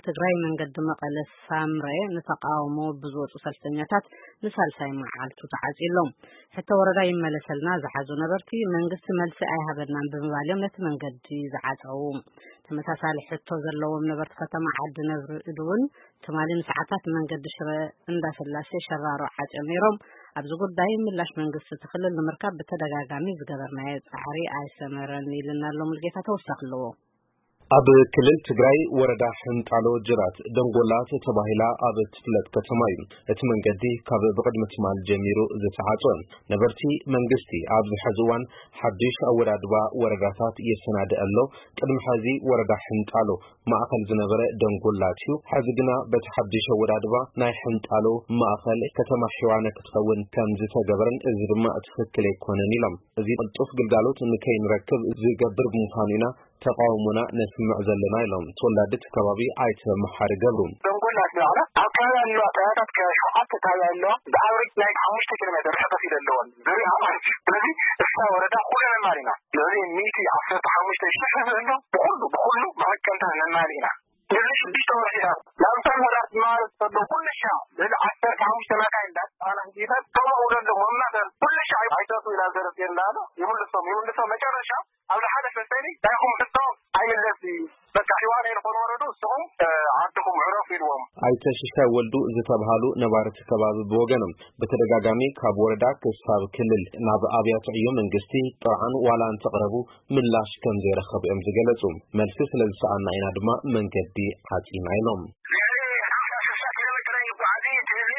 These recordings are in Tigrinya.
ትግራይ መንገዲ መቐለ ሳምረ ንተቃውሞ ብዝወፁ ሰልፈኛታት ንሳልሳይ መዓልቱ ተዓፅዩ ኣሎ። ሕቶ ወረዳ ይመለሰልና ዝሓዙ ነበርቲ መንግስቲ መልሲ ኣይሃበናን ብምባል እዮም ነቲ መንገዲ ዝዓፀዉ። ተመሳሳሊ ሕቶ ዘለዎም ነበርቲ ከተማ ዓዲ ነብሪ እውን ትማሊ ንሰዓታት መንገዲ ሽረ እንዳስላሴ ሸራሮ ዓፅዮም ነይሮም። ኣብዚ ጉዳይ ምላሽ መንግስቲ እቲ ክልል ንምርካብ ብተደጋጋሚ ዝገበርናዮ ፃዕሪ ኣይሰመረን ኢልና ኣሎ ሙልጌታ። ተወሳኺ ኣለዎ። ኣብ ክልል ትግራይ ወረዳ ሕንጣሎ ጅራት ደንጎላ ተባሂላ ኣብ እትፍለጥ ከተማ እዩ እቲ መንገዲ ካብ ብቕድሚ ትማል ጀሚሩ ዝተዓፀወ። ነበርቲ መንግስቲ ኣብዚ ሕዚ እዋን ሓድሽ ኣወዳድባ ወረዳታት የሰናድእ ኣሎ። ቅድሚ ሕዚ ወረዳ ሕንጣሎ ማእኸል ዝነበረ ደንጎላ እዩ። ሕዚ ግና በቲ ሓድሽ ኣወዳድባ ናይ ሕንጣሎ ማእኸል ከተማ ሒዋነ ክትኸውን ከም ዝተገበረን እዚ ድማ ትኽክል ኣይኮነን ኢሎም። እዚ ቅልጡፍ ግልጋሎት ንከይንረክብ ዝገብር ብምዃኑ ኢና ተቃውሞና ነስምዕ ዘለና ኢሎም ተወላዲ እቲ ከባቢ ኣይተ መሓሪ ገብሩ። ደንጎላ ዝበዓላ ኣብ ከባቢ ኣለዋ ጣያታት ከ ሸውዓተ ጣያ ኣለዋ። ብኣቨሬጅ ናይ ሓሙሽተ ኪሎ ሜትር ርሕቀት ኢለ ኣለወን። ዙሪያ ማለት እዩ። ስለዚ እሳ ወረዳ ኩሉ ነማል ኢና። ልዕሊ ሚእቲ ዓሰርተ ሓሙሽተ ሽሕ ህዝቢ ኣሎ። ብኩሉ ብኩሉ መቐቀንታ ነማል ኢና። ልዕሊ ሽዱሽተ ወርሒ ኢና። ናብ እቶም ወራት ማለት ከሎ ኩሉ ሻ ልዕሊ ዓሰርተ ሓሙሽተ መካይን እንዳጣና ሂደት ከማኡ ደሎ መማተር ኩሉ ሻ ኣይተቱ ኢላ ዘረፍ የንዳሎ ይምልሶም ይምልሶም መጨረሻ ኣብ ሓደ ፈሰኒ ናይኹም ሕቶ ኣይምለስ በቃ ሒዋን ኣይንኾን ወረዱ እስኹም ዓድኹም ዕረፉ ኢልዎም። ኣይተ ሽሻይ ወልዱ ዝተብሃሉ ነባርቲ ከባቢ ብወገኖም ብተደጋጋሚ ካብ ወረዳ ክሳብ ክልል ናብ ኣብያተ ዕዮ መንግስቲ ጥርዓን ዋላ እንተቕረቡ ምላሽ ከም ዘይረኸቡ እዮም ዝገለጹ። መልሲ ስለ ዝሰኣና ኢና ድማ መንገዲ ዓጺና ኢሎም። ልዕሊ ሓምሳ ስሳ ኪሎ ሜትር ኣይንጓዓዝ እዩ እቲ ህዝቢ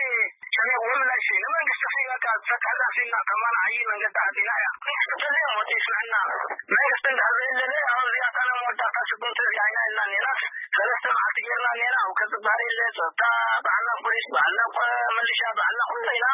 ጨኒቕዎ ምላሽ እዩ። ንመንግስቲ ክኢላካ ዝፈትሐላ ክኢልና ከማን ዓዪ መንገዲ ዓጺና እያ። መንግስቲ ተዘይሞት ይስምዐና። መንግስቲ እንድሕር ዘይለለ ኣብ እዚኣታ ናይ መወዳእታ ስጉምቲ እዚኣ ኢና ኢልና ነይራስ ሰለስተ መዓልቲ ጌርና ነይራ። ኣብ ከዚ ባህሪ የለ ጸጥታ ባዕልና ፖሊስ ባዕልና ቆ- መሊሻ ባዕልና ኩሉ ኢና።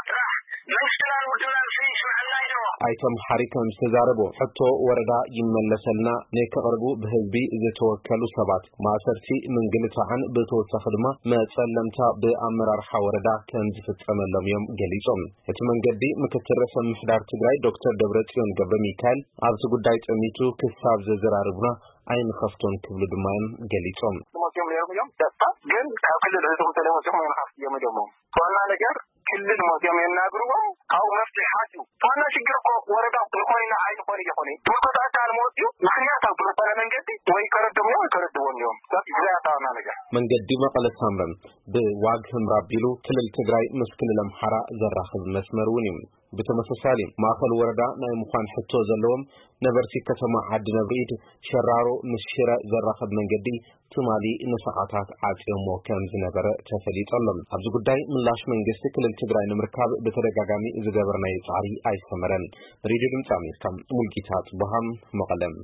ጥራሕ መንግስትና ንውድና ንሱ ይስምዐና ኢልዎ። ኣይተ መሓሪ ከም ዝተዛረቦ ሕቶ ወረዳ ይመለሰልና ንክቕርቡ ብህዝቢ ዝተወከሉ ሰባት ማእሰርቲ ምንግልታዕን ብተወሳኺ ድማ መጸለምታ ብኣመራርሓ ወረዳ ከም ዝፍጸመሎም እዮም ገሊጾም። እቲ መንገዲ ምክትል ርእሰ ምምሕዳር ትግራይ ዶክተር ደብረጽዮን ገብረ ሚካኤል ኣብዚ ጉዳይ ጠሚቱ ክሳብ ዘዘራርቡና ኣይንኸፍቶን ክብሉ ድማ እዮም ገሊጾም። መፅኦም ነይሮም እዮም ደስታ ግን ካብ ክልል ህዝቦም ተለይ መፅኦም ኣይንኸፍት እዮም ኢሎሞም። ዋና ነገር ክልል መፅኦም የናግርዎም ካብኡ መፍትሒ ሓትዩ ዋና ሽግር እኮ ወረዳ ንኮይና ኣይንኾን እየኾነ ብርኮት ኣካል መፅኡ ምክንያታዊ ብዝኾነ መንገዲ ወይ ከረድም እዮም ወይ ከረድዎም እዮም። ብዛያታ ዋና ነገር መንገዲ መቐለ ሳምረም ብዋግ ህምራ ኣቢሉ ክልል ትግራይ ምስ ክልል ኣምሓራ ዘራኽብ መስመር እውን እዩ። ብተመሳሳሊ ማእኸል ወረዳ ናይ ምዃን ሕቶ ዘለዎም ነበርቲ ከተማ ዓዲ ነብሪኢድ ሸራሮ ምስ ሽረ ዘራኽብ መንገዲ ትማሊ ንሰዓታት ዓፅዮሞ ከም ዝነበረ ተፈሊጡ ኣሎ። ኣብዚ ጉዳይ ምላሽ መንግስቲ ክልል ትግራይ ንምርካብ ብተደጋጋሚ ዝገበርናዮ ፃዕሪ ኣይሰመረን። ሬድዮ ድምፂ ኣሜሪካ ሙልጌታ ፅቡሃም መቐለም።